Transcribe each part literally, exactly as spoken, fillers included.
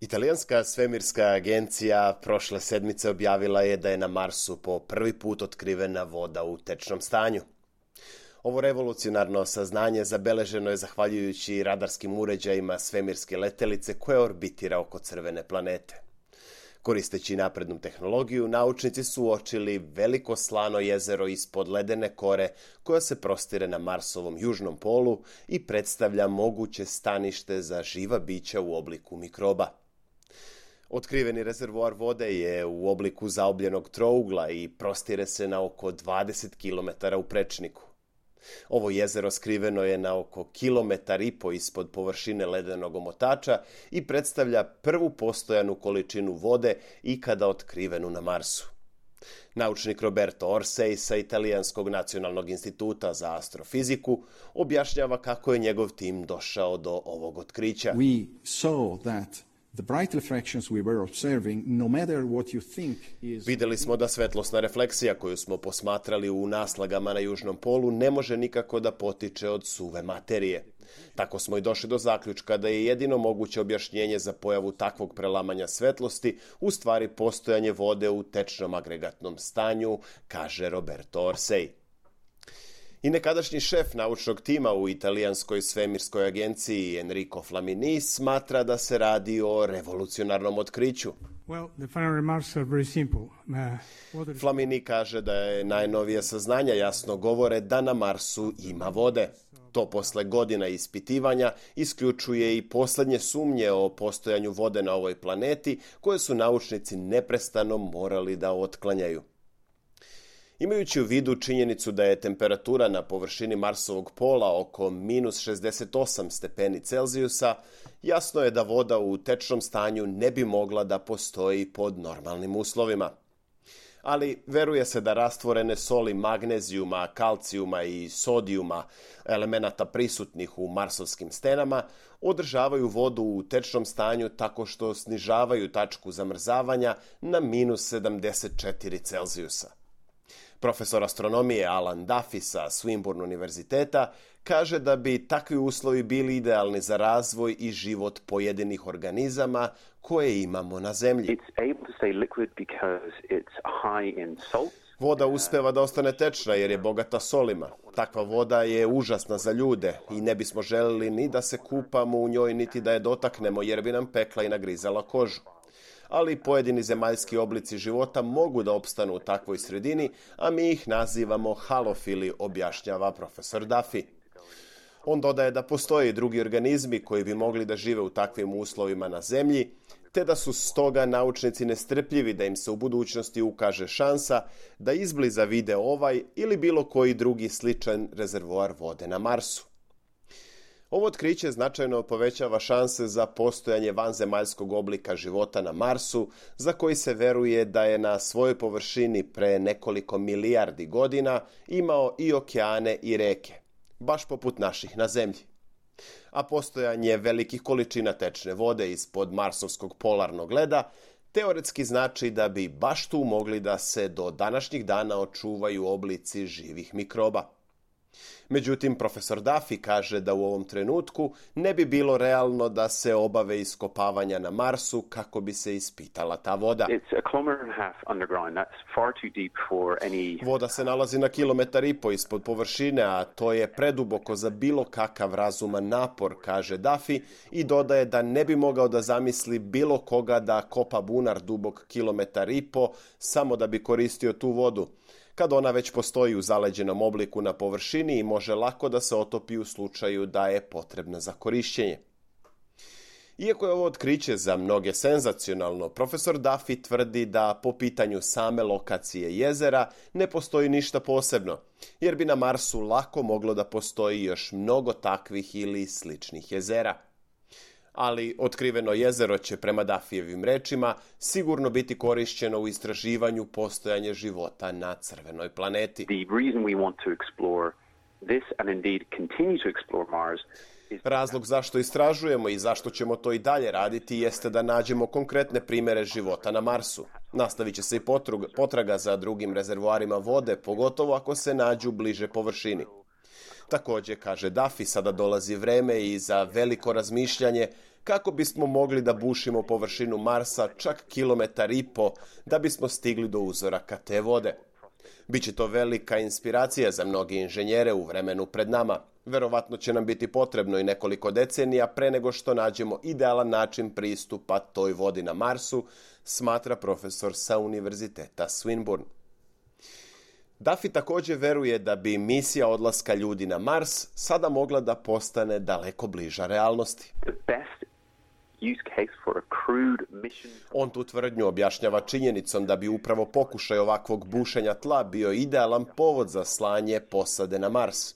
Italijanska svemirska agencija prošle sedmice objavila je da je na Marsu po prvi put otkrivena voda u tečnom stanju. Ovo revolucionarno saznanje zabeleženo je zahvaljujući radarskim uređajima svemirske letelice koja orbitira oko crvene planete. Koristeći naprednu tehnologiju, naučnici su uočili veliko slano jezero ispod ledene kore koja se prostire na Marsovom južnom polu i predstavlja moguće stanište za živa bića u obliku mikroba. Otkriveni rezervoar vode je u obliku zaobljenog trougla i prostire se na oko dvadeset kilometara u prečniku. Ovo jezero skriveno je na oko kilometar i po ispod površine ledenog omotača i predstavlja prvu postojanu količinu vode ikada otkrivenu na Marsu. Naučnik Roberto Orsi sa Italijanskog nacionalnog instituta za astrofiziku objašnjava kako je njegov tim došao do ovog otkrića. We saw that the bright refractions we were observing, no matter what you think is... Vidjeli smo da svetlosna refleksija koju smo posmatrali u naslagama na južnom polu ne može nikako da potiče od suve materije. Tako smo i došli do zaključka da je jedino moguće objašnjenje za pojavu takvog prelamanja svetlosti u stvari postojanje vode u tečnom agregatnom stanju, kaže Roberto Orsi. I nekadašnji šef naučnog tima u italijanskoj svemirskoj agenciji Enrico Flamini smatra da se radi o revolucionarnom otkriću. Well, the final remarks are very simple. Uh, Flamini kaže da je najnovije saznanja jasno govore da na Marsu ima vode. To posle godina ispitivanja isključuje i posljednje sumnje o postojanju vode na ovoj planeti koje su naučnici neprestano morali da otklanjaju. Imajući u vidu činjenicu da je temperatura na površini Marsovog pola oko minus šezdeset osam stepeni Celzijusa, jasno je da voda u tečnom stanju ne bi mogla da postoji pod normalnim uslovima. Ali veruje se da rastvorene soli magnezijuma, kalcijuma i sodijuma, elemenata prisutnih u marsovskim stenama, održavaju vodu u tečnom stanju tako što snižavaju tačku zamrzavanja na minus sedamdeset četiri Celzijusa. Profesor astronomije Alan Duffy sa Swinburne univerziteta kaže da bi takvi uslovi bili idealni za razvoj i život pojedinih organizama koje imamo na Zemlji. Voda uspeva da ostane tečna jer je bogata solima. Takva voda je užasna za ljude i ne bismo želeli ni da se kupamo u njoj niti da je dotaknemo jer bi nam pekla i nagrizala kožu. Ali pojedini zemaljski oblici života mogu da opstanu u takvoj sredini, a mi ih nazivamo halofili, objašnjava profesor Duffy. On dodaje da postoje i drugi organizmi koji bi mogli da žive u takvim uslovima na Zemlji, te da su stoga naučnici nestrpljivi da im se u budućnosti ukaže šansa da izbliza vide ovaj ili bilo koji drugi sličan rezervoar vode na Marsu. Ovo otkriće značajno povećava šanse za postojanje vanzemaljskog oblika života na Marsu, za koji se veruje da je na svojoj površini pre nekoliko milijardi godina imao i okeane i reke, baš poput naših na Zemlji. A postojanje velikih količina tečne vode ispod marsovskog polarnog leda teoretski znači da bi baš tu mogli da se do današnjih dana očuvaju oblici živih mikroba. Međutim, profesor Duffy kaže da u ovom trenutku ne bi bilo realno da se obave iskopavanja na Marsu kako bi se ispitala ta voda. Voda se nalazi na kilometar i po ispod površine, a to je preduboko za bilo kakav razuman napor, kaže Duffy, i dodaje da ne bi mogao da zamisli bilo koga da kopa bunar dubok kilometar i po samo da bi koristio tu vodu, kad ona već postoji u zaleđenom obliku na površini i može lako da se otopi u slučaju da je potrebna za korišćenje. Iako je ovo otkriće za mnoge senzacionalno, profesor Duffy tvrdi da po pitanju same lokacije jezera ne postoji ništa posebno, jer bi na Marsu lako moglo da postoji još mnogo takvih ili sličnih jezera. Ali otkriveno jezero će, prema Duffyjevim rečima, sigurno biti korišćeno u istraživanju postojanja života na crvenoj planeti. Razlog zašto istražujemo i zašto ćemo to i dalje raditi jeste da nađemo konkretne primere života na Marsu. Nastavit će se i potraga za drugim rezervoarima vode, pogotovo ako se nađu bliže površini. Također, kaže Duffy, sada dolazi vreme i za veliko razmišljanje kako bismo mogli da bušimo površinu Marsa čak kilometar i po da bismo stigli do uzoraka te vode. Biće to velika inspiracija za mnogi inženjere u vremenu pred nama. Verovatno će nam biti potrebno i nekoliko decenija pre nego što nađemo idealan način pristupa toj vodi na Marsu, smatra profesor sa Univerziteta Swinburne. Duffy također veruje da bi misija odlaska ljudi na Mars sada mogla da postane daleko bliža realnosti. On tu tvrdnju objašnjava činjenicom da bi upravo pokušaj ovakvog bušenja tla bio idealan povod za slanje posade na Mars.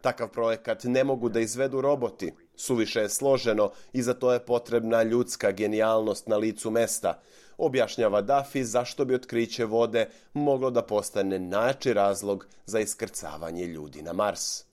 Takav projekat ne mogu da izvedu roboti, suviše je složeno i za to je potrebna ljudska genijalnost na licu mesta, objašnjava Duffy zašto bi otkriće vode moglo da postane najjači razlog za iskrcavanje ljudi na Mars.